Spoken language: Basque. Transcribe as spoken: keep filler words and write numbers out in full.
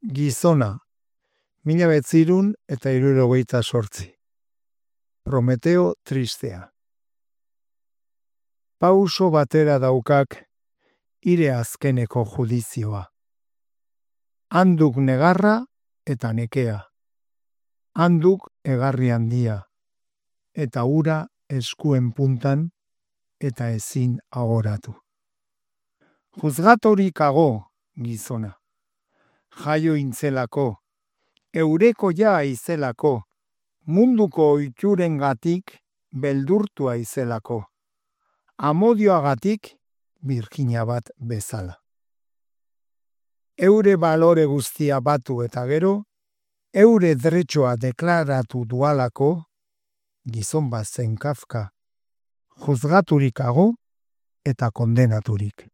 Gizona, mila betzirun eta hirurogeita sortzi. Prometeo tristea. Pauso batera daukak hire azkeneko judizioa. Handuk negarra eta nekea. Handuk egarri handia. Eta ura eskuen puntan eta ezin ahoratu. Juzgatorik ago, gizona. Jaio intzelako, eureko ja izelako, munduko oiturengatik beldurtua izelako, amodioagatik birjina bat bezala. Eure balore guztia batu eta gero, eure dretxoa deklaratu dualako, gizon bat zen Kafka, juzgaturik ago eta kondenaturik.